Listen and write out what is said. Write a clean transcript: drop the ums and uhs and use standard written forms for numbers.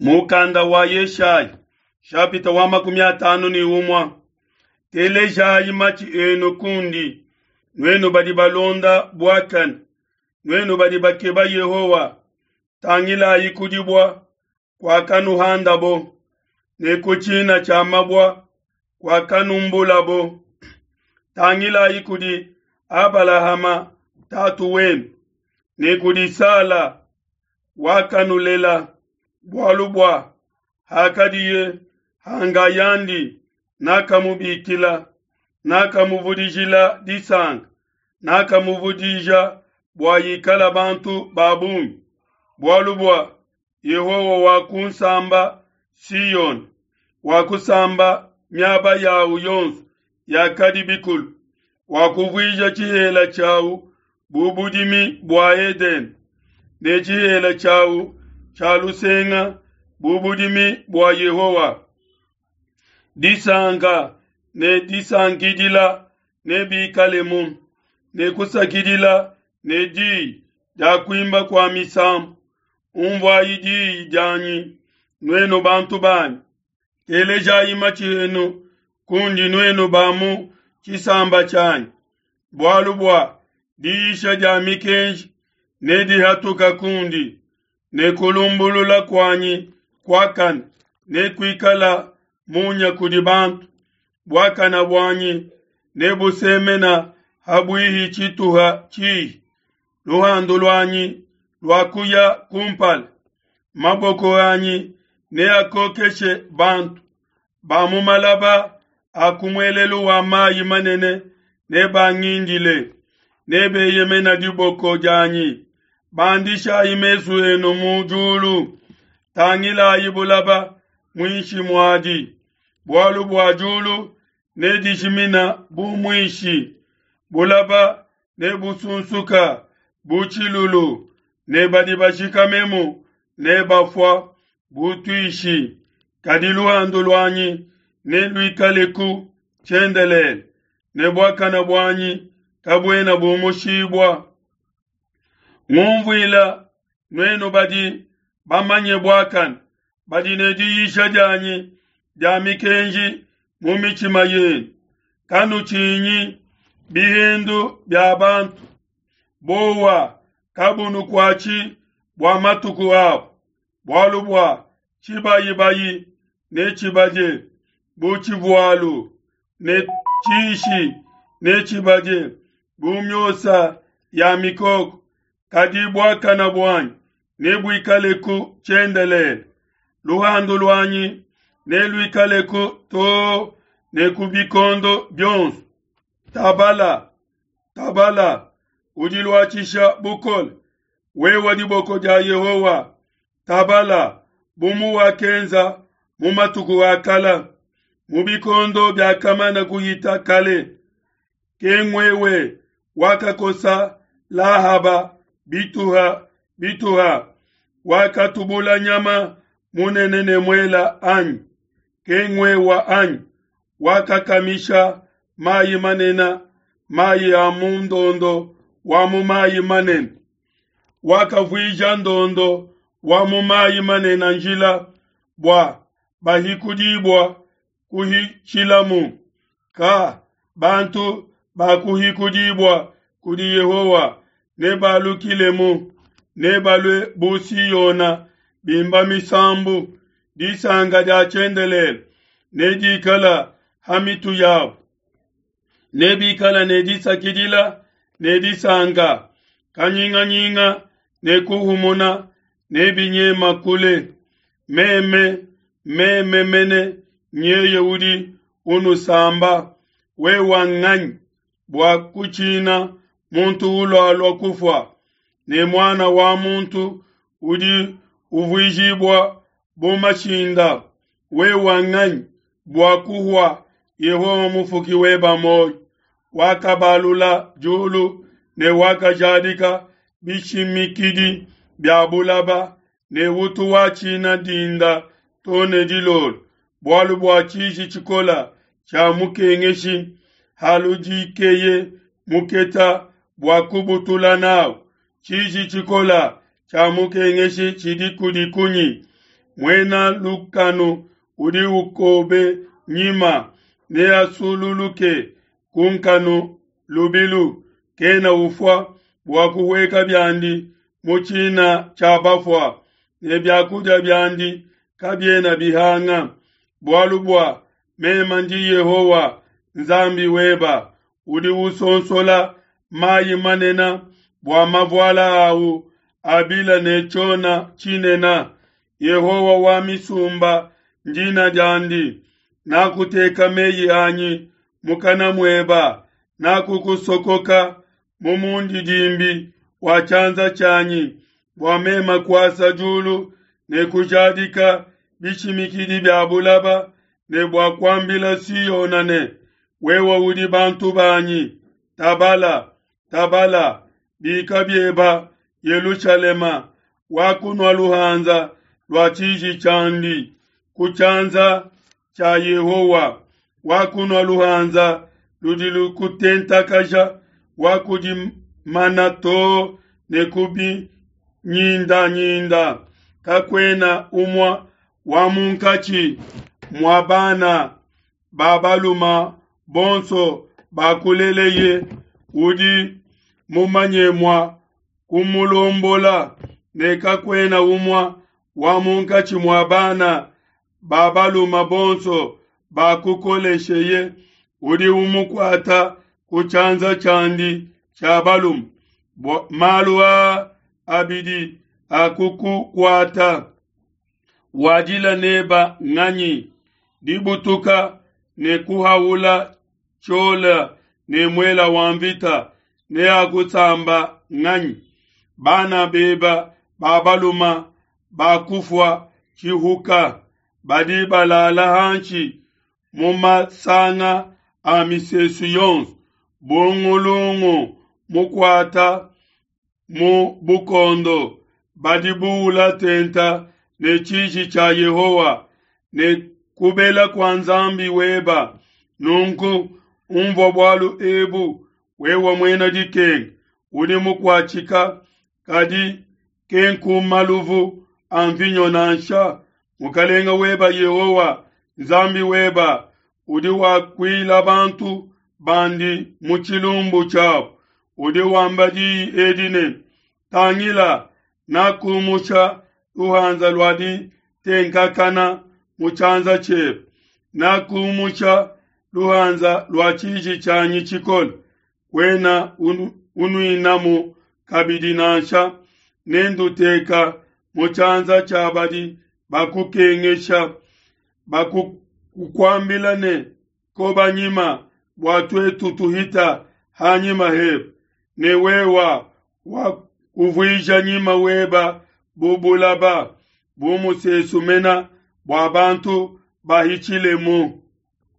Mukanda wa Yeshaya shapita wa 51. Telejayi matshi enu kundi, nuenu badi balonda buakane, nuenu badi bakeba Yehowa. Tangilayi ku dibua kuakanuhandabo, ne ku tshina tshia mabua kuakanumbulabo. Tangilayi kudi Abalahama tatu wenu, ne kudi Sala wakanulela, bualu bua hakadiye hangayandi nakamubikila, nakamuvudijila disanka, nakamuvudija bua ikala bantu ba bungi. Bualu bua Yehowa wakunsamba Siyone, wakusamba miaba yawu yonso yakadi bikulu, wakuvuija tshihela tshiawu bu budimi bua Edene, ne tshihela tshiawu tshia lusenga bu budimi bua Yehowa. Disanka ne disankidila nebikalemu, ne kusakidila ne diyi dia kuimba kua misambu. Unvuayi diyi dianyi, nuenu bantu banyi. Telejayi matshi enu kundi nuenu ba mu tshisamba tshianyi. Bualu bua diyisha dia mikenji nedihatuka kundi, ne kulumbulula kuanyi kuakane nekuikala munya kudi bantu. Buakane buanyi nebusemena ha buihi tshituha tshihi, luhandu luanyi luakuya kumpala. Maboko anyi neakokeshe bantu ba mu malaba a ku muelelu wa mayi manene, nebangindile, nebeyemena diboko dianyi. Bandishayi mesu enu mu diulu, tangilayi bulaba muinshi muadi, bualu bua diulu nedijimina bu muishi, bulaba nebusunsuka bu tshilulu, ne badi bashikamemu nebafua bu tuishi. Kadi luhandu luanyi neluikaleku tshiendelele, ne buakane buanyi kabuena bumushibua. Ngumvuila, nuenu badi bamanye buakane, badi ne diyisha dianyi dia mikenji mu mitshima yenu. Kanutshinyi bihendu bia bantu, bowa kabunukuatshi bua matuku abo, bualu bua tshibayibayi netshibadie bu tshivualu, ne tshishi netshibadie bu miosa ya mikoko. Kadi buakane buanyi nebuikaleku tshiendelele, luhandu luanyi neluikaleku too ne ku bikondo bionso. Tabala, tabala, udiluatshisha bukole, wewa diboko dia Yehowa. Tabala, bu muwakenza mu matuku a kala, mu bikondo biakamana kuhita kale. Ke ngwewe wakakosa Lahaba bituha bituha, wakatubula nyama munene ne muela anyi? Ke ngwewa anyi wakakamisha mayi manene, mayi a mu ndondo wa mu mayi manene, wakavuija ndondo wa mu mayi manene njila bua bahikudibua kuhitshilamu. Ka bantu bakuhikudibua kudi Yehowa nebalukilemu, nebalue bu Siona bimba misambu. Disanka dia tshiendelele nedikala ha mitu yabo, nebikala ne disakidila ne disanka. Kanyinganyinga ne kuhumuna nebinyema kule. Meme, meme mene nyeye udi unusamba. Wewa nganyi bua kutshina muntu ulualua kufua, ne muana wa muntu udi uvuijibua bu mashinda? Wewa nganyi bua kuhua Yehowa mufuki weba muoyo, wakabalula diulu ne wakajadika bishimikidi bia bulaba, ne utu watshina dinda to ne dilolo, bualu bua tshiji tshikola tshia mukengeshi haludikeye muketa bua kubutula nawu. Tshiji tshikola tshia mukengeshi tshidi kudi kunyi? Muena lukanu udi ukobe nyima neasululuke ku nkanu lubilu, kena ufua bua kuhueka biandi mu tshina tshia bafua, ne biakudia biandi kabiena bihanga. Bualu bua meme ndi Yehowa Nzambi weba, udi usonsola mayi manene bua mavuala awu abila ne tshiona tshinene. Yehowa wa misumba ndina diandi. Nakuteka meyi anyi mukana mueba, nakukusokoka mu mundidimbi wa tshianza tshianyi, bua meme kuasa diulu ne kujadika bishimikidi bia bulaba, ne bua kuambila Siona ne, wewe udi bantu banyi. Tabala, tabala, bika bieba Yelushalema, wakunua luhanza lua tshiji tshiandi ku tshianza tshia Yehowa, wakunua luhanza ludi lukutentakaja, wakudimana too ne ku binyindanyinda. Kakuena umue wa munkatshi mua bana ba baluma bonso bakuleleye udi mumanye mua kumulombola, ne kakuena umue wa munkatshi mua bana ba baluma bonso bakukolesheye udi umukuata ku tshianza tshiandi tshia balume. Malu aa abidi akukukuata, wadila neba nganyi? Dibutuka ne kuhaula tshiola ne muela wa mvita neakusamba nganyi? Bana beba ba baluma bakufua tshihuka, badi balala hanshi mu masanga a misesu yonso, bungulungu mukuata mu bukondo, badi buula tenta ne tshiji tshia Yehowa ne kubela kua Nzambi weba. Nunku umvua bualu ebu, wewe muena dikenga, udi mukuatshika, kadi kenku maluvu a mvinyo nansha. Mukalenga weba Yehowa Nzambi weba udi wakuila bantu bandi mu tshilumbu tshiabu, udi wamba diyi edi ne, tangila, nakumusha luhanza lua ditenkakana mu tshianza tshiebe, nakumusha luhanza lua tshiji tshianyi tshikole, kuena unuinamu kabidi nansha. Nenduteka mu tshianza tshia badi bakukengesha, bakukuambila ne, koba nyima bua tuetu tuhita hanyima hebe, ne wewa wakuvuija nyima weba bu bulaba, bu musesu mena bua bantu bahitshilemu.